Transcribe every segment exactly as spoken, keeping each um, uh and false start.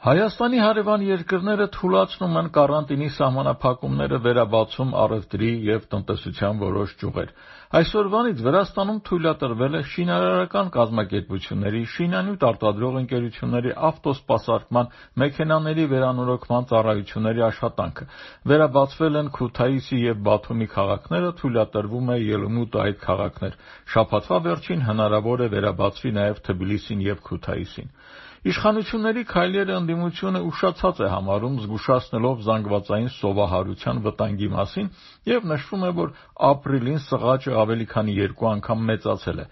Հայաստանի հարևան երկրները թուլացնում են կարանտինի սահմանափակումները, վերաբացում առևտրի և տնտեսության որոշ ճյուղեր։ Այսօրվանից Վրաստանում թույլատրվել է շինարարական կազմակերպությունների, շինանյութ արտադրող ընկերությունների, ավտոսպասարկման, մեքենաների վերանորոգման ծառայությունների աշխատանքը։ Վերաբացվել են Քութայիսի և Բաթումի քաղաքները, թույլատրվում է ելումուտ այդ քաղաքներ։ Շաբաթվա վերջին հնարավոր է վերաբացվի նաև Թբիլիսին և Քութայիսին։ Իշխանությունների քայլերը ընդդիմությունը ուշացած է համարում, զգուշացնելով զանգվածային սովահարության վտանգի մասին, և նշվում է, որ ապրիլին սղաճը ավելի քան երկու անգամ մեծացել է։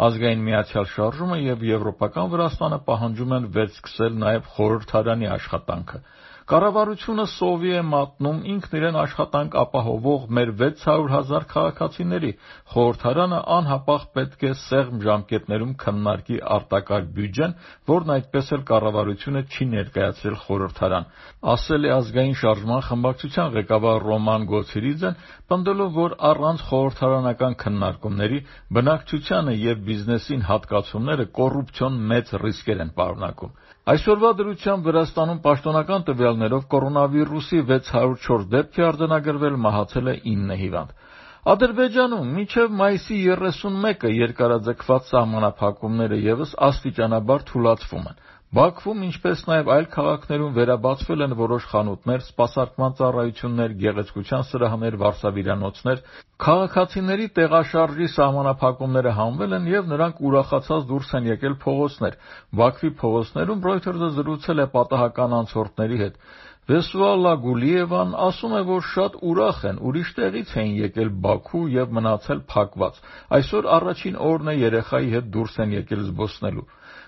Ազգային Միացյալ շարժումը և Եվրոպական Վրաստանը պահանջում են վերսկսել նաև խորհրդարանի աշխատանքը։ Կառավարությունը սովի է մատնում ինքն իրեն աշխատանք ապահովող մեր վեց հարյուր հազար քաղաքացիների։ Խորհրդարանը անհապաղ պետք է սեղմ ժամկետներում քննարկի արտակարգ բյուջեն, որն այդպես էլ կառավարությունը չի ներկայացրել խորհրդարան, ասել է Ազգային շարժման խմբակցության ղեկավար Ռոման Գոցիրիձեն, պնդելով, որ առանց խորհրդարանական քննարկումների բնակչությանը և բիզնեսին հատկացումները կոռուպցիոն մեծ ռիսկեր են պարունակում։ Այսօրվա դրությամբ Վրաստանում պաշտոնական տվյալներով կորոնավիրուսի վեց հարյուր չորս դեպք է արձանագրվել, մահացել է ինը հիվանդ։ Ադրբեջանում մինչև մայիսի երեսունմեկը երկարաձգված սահմանափակումները ևս աստիճանաբար թուլացվում են։ Բաքվում, ինչպես նաև այլ քաղաքներում վերաբացվել են որոշ խանութներ, սպասարկման ծառայություններ, գեղեցկության սրահներ, վարսավիրանոցներ։ Քաղաքացիների տեղաշարժի սահմանափակումները հանվել են և նրանք ուրախացած դուրս են եկել փողոցներ։ Բաքվի փողոցներում Reuters-ը զրուցել է պատահական անցորդների հետ։ Վեսուալա Գուլիևան ասում է, որ շատ ուրախ են, ուրիշ տեղից էին եկել Բաքու և մնացել փակված։ Այսօր առաջին օրն է երեխայի հետ դուրս են եկել զբոսնելու։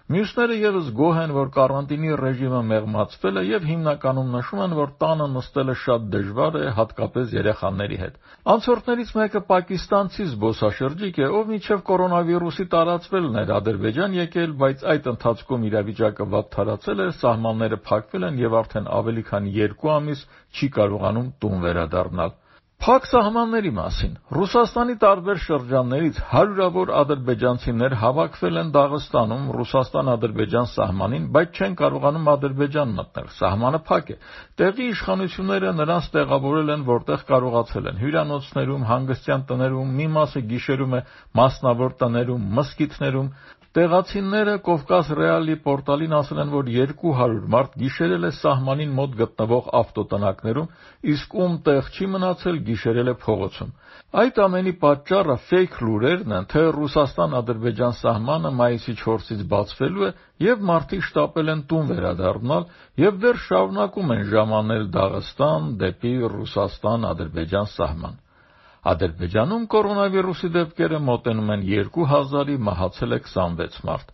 Մյուսները ևս գոհ են, որ կարանտինի ռեժիմը մեղմացվել է և հիմնականում նշում են, որ տանը նստելը շատ դժվար է, հատկապես երեխաների հետ։ Անցորդներից մեկը պակիստանցի զբոսաշրջիկ է, ով մինչև կորոնավիրուսի տարածվելն էր Ադրբեջան եկել, բայց այդ ընթացքում իրավիճակը վատթարացել է, սահմանները փակվել են և արդեն ավելի քան երկու ամիս չի կարողանում տուն վերադառնալ։ Փակ սահմանների մասին Ռուսաստանի տարբեր շրջաններից հարյուրավոր ադրբեջանցիներ հավաքվել են Դաղստանում Ռուսաստան-Ադրբեջան սահմանին, բայց չեն կարողանում Ադրբեջան մտնել։ Սահմանը փակ է։ Տեղի իշխանությունները նրանց տեղավորել են որտեղ կարողացել են՝ հյուրանոցներում, հանգստյան տներում, մի մասը գիշերում է մասնավոր տներում, մզկիթներում։ Տեղացիները Կովկաս Ռեալի պորտալին ասել են, որ երկու հարյուր մարդ գիշերել է սահմանին մոտ գտնվող ավտոտնակներում, իսկ ում տեղ չի մնացել, գիշերել է փողոցում։ Այդ ամենի պատճառը ֆեյք լուրերն են, թե Ռուսաստան-Ադրբեջան սահմանը մայիսի չորսից բացվելու է, և մարդիկ շտապել են տուն վերադառնալ և դեռ շարունակում են ժամանել Դաղստան դեպի Ռուսաստան-Ադրբեջան սահման։ Ադրբեջանում կորոնավիրուսի դեպքերը մոտենում են երկու հազարի, մահացել է քսանվեց մարդ։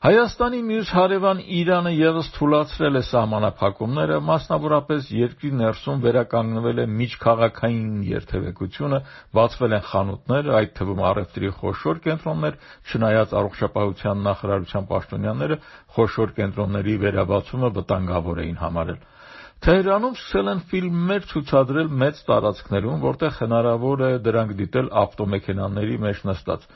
Հայաստանի մյուս հարևան Իրանը ևս թուլացրել է սահմանափակումները, մասնավորապես երկրի ներսում վերականգնվել է միջքաղաքային երթևեկությունը, բացվել են խանութներ, այդ թվում առևտրի խոշոր կենտրոններ, չնայած առողջապահության նախարարության պաշտոնյաները խոշոր կենտրոնների վերաբացումը վտանգավոր էին համարել։ Թեհրանում սկսել են ֆիլմեր ցուցադրել մեծ տարածքներում, որտեղ հնարավոր է դրանք դիտել ավտոմեքենաների մեջ նստած։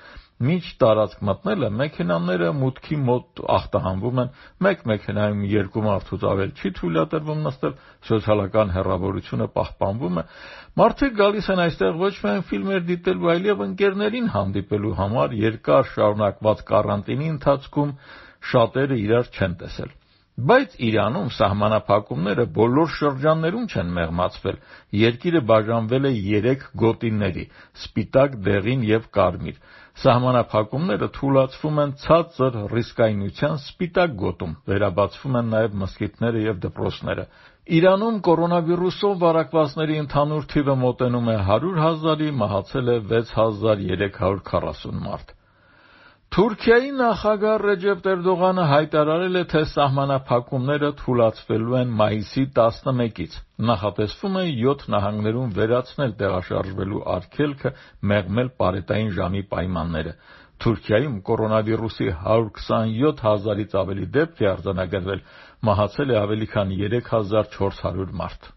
Մինչ տարածք մտնելը մեքենաները մուտքի մոտ ախտահանվում են, մեկ մեքենայում երկու մարդուց ավել չի թույլատրվում նստել, սոցիալական հեռավորությունը պահպանվում է։ Մարդիկ գալիս են այստեղ ոչ միայն ֆիլմեր դիտելու, այլև ընկերներին հանդիպելու համար։ Երկար շարունակված կարանտինի ընթացքում շատերը իրար չեն տեսել։ Բայց Իրանում սահմանափակումները բոլոր շրջաններում չեն մեղմացվել։ Երկիրը բաժանվել է երեք գոտիների՝ սպիտակ, դեղին և կարմիր։ Սահմանափակումները թուլացվում են ցածր ռիսկայնության սպիտակ գոտում, վերաբացվում են նաև մզկիթները և դպրոցները։ Իրանում կորոնավիրուսով վարակվածների ընդհանուր թիվը մոտենում է հարյուր հազարի, մահացել է վեց հազար երեք հարյուր քառասուն մարդ։ Թուրքիայի նախագահ Ռեջեփ Էրդողանը հայտարարել է, թե սահմանափակումները թուլացվելու են մայիսի տասնմեկից։ Նախատեսվում է յոթ նահանգներում վերացնել տեղաշարժվելու արգելքը, մեղմել պարետային ժամի պայմանները։ Թուրքիայում կորոնավիրուսի հարյուր քսանյոթ հազարից ավելի դեպք է արձանագրվել, մահացել է ավելի քան երեք հազար չորս հարյուր մարդ։